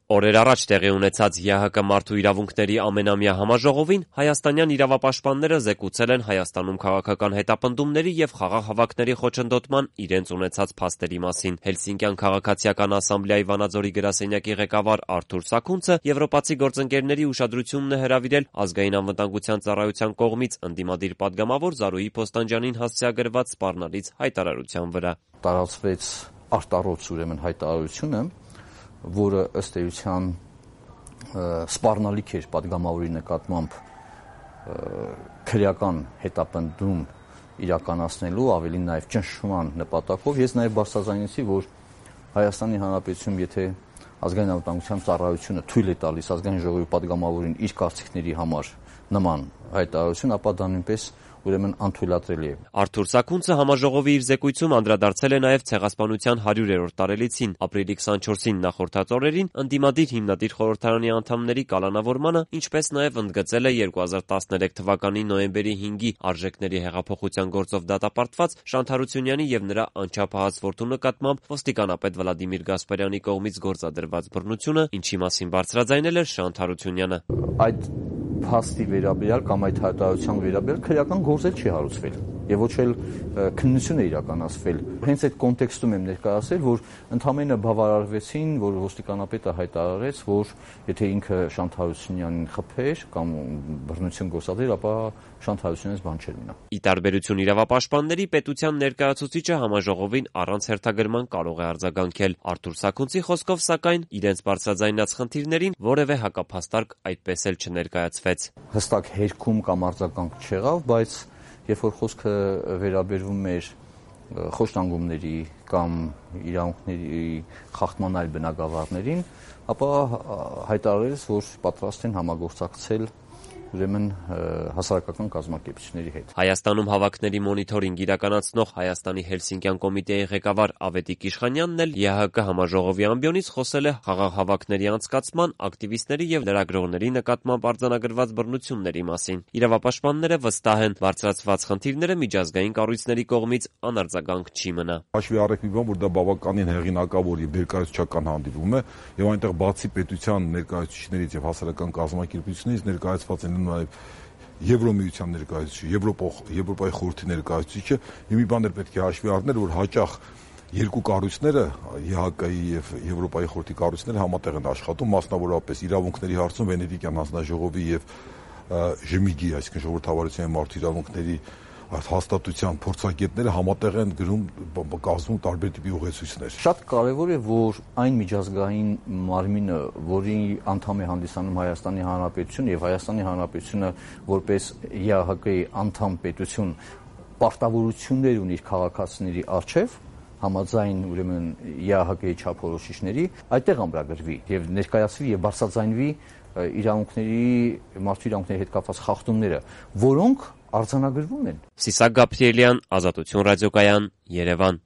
Օրեր առաջ տեղի ունեցած ԵՀԿ մարդու իրավունքների ամենամյա համաժողովին հայաստանյան իրավապաշտպանները զեկուցել են Հայաստանում քաղաքական հետապնդումների եւ խաղաղ հավաքների խոչընդոտման իրենց ունեցած փաստերի մասին։ Հելսինկյան քաղաքացիական ասամբլեայի Վանաձորի գրասենյակի ղեկավար Արթուր Սաքունցը եվրոպացի գործընկերների ուշադրությունն է հրավիրել Ազգային անվտանգության ծառայության կողմից ընդդիմադիր падգամավոր Զարուհի Փոստանջյանին հասցեագրված սպառնալից հայտարարության վրա։ Տարածվեց արտառոց ուրեմն հայտարարությունը, որը ըստ էության սպառնալիք էր падգամավորի նկատմամբ քրեական հետապնդում իրականացնելու, ավելին նաև ճնշման նպատակով։ Ես նաև բարձրաձայնեցի, որ Հայաստանի Հանրապետությունում, եթե Ազգային անվտանգության ծառայությունը թույլ է տալիս Ազգային ժողովի падգամավորին իր կարծիքների համար նման հայտարարություն, ապա դա նույնպես ուրեմն անթույլատրելի է։ Արթուր Սաքունցը համաժողովի իր զեկույցում անդրադարձել է նաև ցեղասպանության 100-րդ տարելիցին, ապրիլի 24-ին նախորդած օրերին ընդդիմադիր հիմնադիր խորհրդարանի անդամների կալանավորմանը, ինչպես նաև ընդգծել է 2013 թվականի նոյեմբերի 5-ի արժեքների հեղափոխության գործով դատապարտված Շանթ Հարությունյանի եւ նրա անչափահաս որդու նկատմամբ ոստիկանապետ Վլադիմիր Գասպարյանի կողմից գործադրված բռնությունը, ինչի մասին բարձրաձայնել էր Շանթ Հարությունյանը։ Այդ փաստի վերաբերյալ կամ այդ հայտարարության վերաբերյալ քրեական գործ չի հարուցվել եւ ոչ էլ քննություն է իրականացվել։ Հենց այդ կոնտեքստում եմ ներկայացրել, որ ընդհանրապես բավարարվեցին, որ ոստիկանապետը հայտարարեց, որ եթե ինքը Շանթ Հարությունյանին խփեր կամ բռնություն գործադրեր, ապա Շանթ Հարությունյանից բան չէր մնա։ Ի տարբերություն իրավապաշտպանների, պետության ներկայացուցիչը համաժողովին առանց հերթագրման կարող է արձագանքել։ Արթուր Սաքունցի խոսքով, սակայն, իրենց բարձրաձայնած խնդիրներին որևէ հակափաստարկ այդպես էլ չներկայացվեց։ Հստակ հերքում կամ արձագանք չեղավ, բայց երբ որ խոսքը վերաբերվում էր խոշտանգումների կամ իրավունքների խախտման այլ բնագավառներին, ապա հայտարարեց, որ պատրաստ են համագործակցել ուրեմն հասարակական կազմակերպությունների հետ։ Հայաստանում հավաքների մոնիթորինգ իրականացնող Հայաստանի Հելսինկյան կոմիտեի ղեկավար Ավետիք Իշխանյանն էլ ԵՀԿ համաժողովի ամբիոնից խոսել է խաղաղ հավաքների անցկացման, ակտիվիստների եւ լրագրողների նկատմամբ արձանագրված բռնությունների մասին։ Իրավապաշտպանները վստահ են, բարձրացված խնդիրները միջազգային կառույցների կողմից անարձագանք չի մնա։ Հաշվի առեք մի բան, որ դա բավականին հեղինակավոր եւ ներկայացուցչական հանդիպում է, եւ այնտեղ բացի պետության ներկայացուցիչներից եւ հասարակական կազմակերպություններից ներկայացված են նաև Եվրոմիության ներկայացուցիչը, Եվրոպայի խորհրդի ներկայացուցիչը, մի բան էլ պետք է հաշվի առնել, որ հաճախ երկու կառույցները, ԵՀԿ-ի եւ Եվրոպայի խորհրդի կառույցները համատեղ են աշխատում, մասնավորապես իրավունքների հարցում Վենետիկյան հանձնաժողովի եւ ԺՄԻԳ-ի, այսինքն ժողովրդավարության եւ մարդու իրավունքների հաստատության փորձագետները համատեղ են գրում կազմում տարբեր տիպի ուղեցույցներ։ Շատ կարևոր է, որ այն միջազգային մարմինը, որի անդամ է հանդիսանում Հայաստանի Հանրապետությունը եւ Հայաստանի Հանրապետությունը որպես ԵԱՀԿ-ի անդամ պետություն պարտավորություններ ունի իր քաղաքացիների առջև, համաձայն ուրեմն ԵԱՀԿ-ի չափորոշիչների, այդտեղ ամրագրվի եւ ներկայացվի եւ բարձրաձայնվի մարդու իրավունքների հետ կապված խախտումները, որոնք արձանագրվում են։ Սիսակ Գաբրիելյան, Ազատություն ռադիոկայան, Երևան։